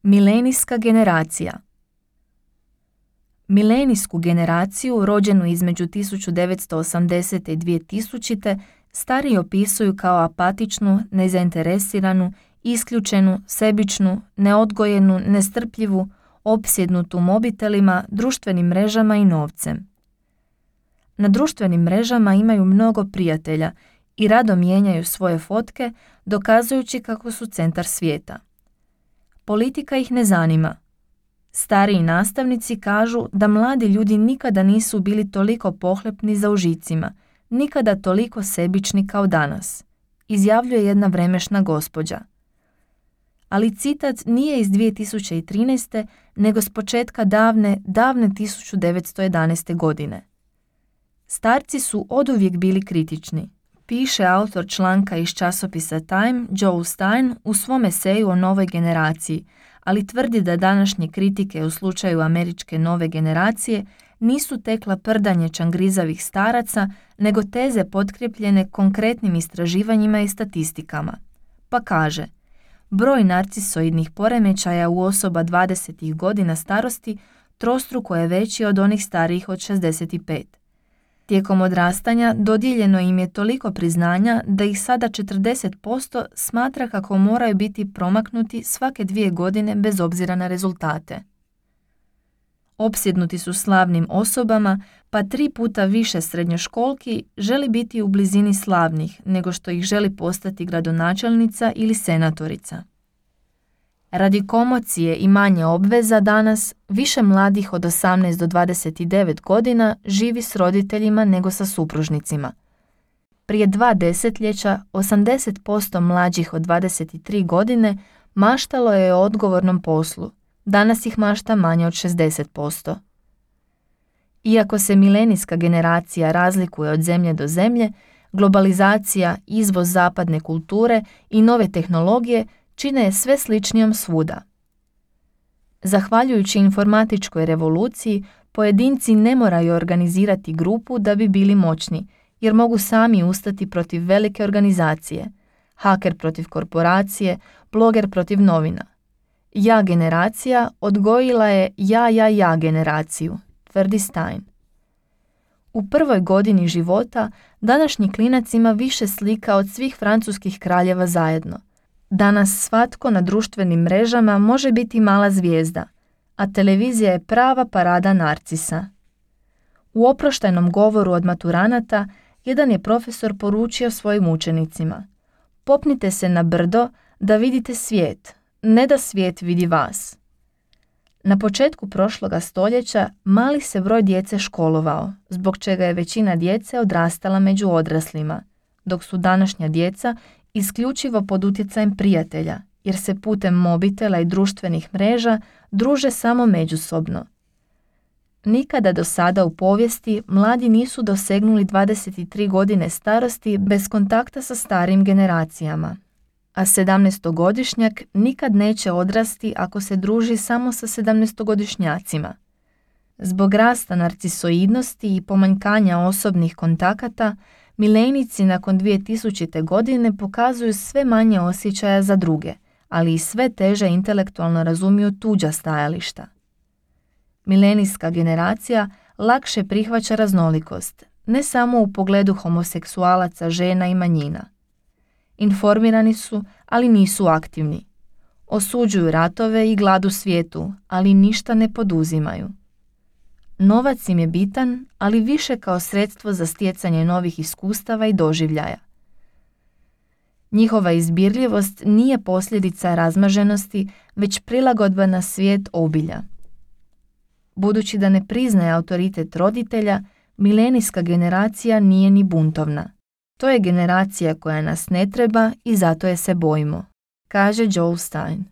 Milenijska generacija. Milenijsku generaciju, rođenu između 1980. i 2000. stariji opisuju kao apatičnu, nezainteresiranu, isključenu, sebičnu, neodgojenu, nestrpljivu, opsjednutu mobitelima, društvenim mrežama i novcem. Na društvenim mrežama imaju mnogo prijatelja i rado mijenjaju svoje fotke, dokazujući kako su centar svijeta. Politika ih ne zanima. Stariji nastavnici kažu da mladi ljudi nikada nisu bili toliko pohlepni za užicima, nikada toliko sebični kao danas, izjavljuje jedna vremešna gospođa. Ali citat nije iz 2013. nego s početka davne 1911. godine. Starci su oduvijek bili kritični, piše autor članka iz časopisa Time, Joe Stein, u svom eseju o novoj generaciji, ali tvrdi da današnje kritike u slučaju američke nove generacije nisu tekla prdanje čangrizavih staraca, nego teze potkrepljene konkretnim istraživanjima i statistikama. Pa kaže, broj narcisoidnih poremećaja u osoba 20 godina starosti trostruko je veći od onih starijih od 65. Tijekom odrastanja dodijeljeno im je toliko priznanja da ih sada 40% smatra kako moraju biti promaknuti svake 2 godine bez obzira na rezultate. Opsjednuti su slavnim osobama, pa 3 puta više srednjoškolki želi biti u blizini slavnih nego što ih želi postati gradonačelnica ili senatorica. Radi komocije i manje obveza danas, više mladih od 18 do 29 godina živi s roditeljima nego sa supružnicima. Prije 2 desetljeća 80% mlađih od 23 godine maštalo je o odgovornom poslu, danas ih mašta manje od 60%. Iako se milenijska generacija razlikuje od zemlje do zemlje, globalizacija, izvoz zapadne kulture i nove tehnologije čine je sve sličnijom svuda. Zahvaljujući informatičkoj revoluciji, pojedinci ne moraju organizirati grupu da bi bili moćni, jer mogu sami ustati protiv velike organizacije, haker protiv korporacije, bloger protiv novina. Ja generacija odgojila je ja generaciju, tvrdi Stein. U prvoj godini života današnji klinac ima više slika od svih francuskih kraljeva zajedno. Danas svatko na društvenim mrežama može biti mala zvijezda, a televizija je prava parada narcisa. U oproštajnom govoru od maturanata jedan je profesor poručio svojim učenicima: popnite se na brdo da vidite svijet, ne da svijet vidi vas. Na početku prošloga stoljeća mali se broj djece školovao, zbog čega je većina djece odrastala među odraslima, dok su današnja djeca isključivo pod utjecajem prijatelja, jer se putem mobitela i društvenih mreža druže samo međusobno. Nikada do sada u povijesti mladi nisu dosegnuli 23 godine starosti bez kontakta sa starijim generacijama, a 17-godišnjak nikad neće odrasti ako se druži samo sa 17-godišnjacima. Zbog rasta narcisoidnosti i pomanjkanja osobnih kontakata, milenijci nakon 2000. godine pokazuju sve manje osjećaja za druge, ali i sve teže intelektualno razumiju tuđa stajališta. Milenijska generacija lakše prihvaća raznolikost, ne samo u pogledu homoseksualaca, žena i manjina. Informirani su, ali nisu aktivni. Osuđuju ratove i glad u svijetu, ali ništa ne poduzimaju. Novac im je bitan, ali više kao sredstvo za stjecanje novih iskustava i doživljaja. Njihova izbirljivost nije posljedica razmaženosti, već prilagodba na svijet obilja. Budući da ne priznaje autoritet roditelja, milenijska generacija nije ni buntovna. To je generacija koja nas ne treba i zato je se bojimo, kaže Joe Stein.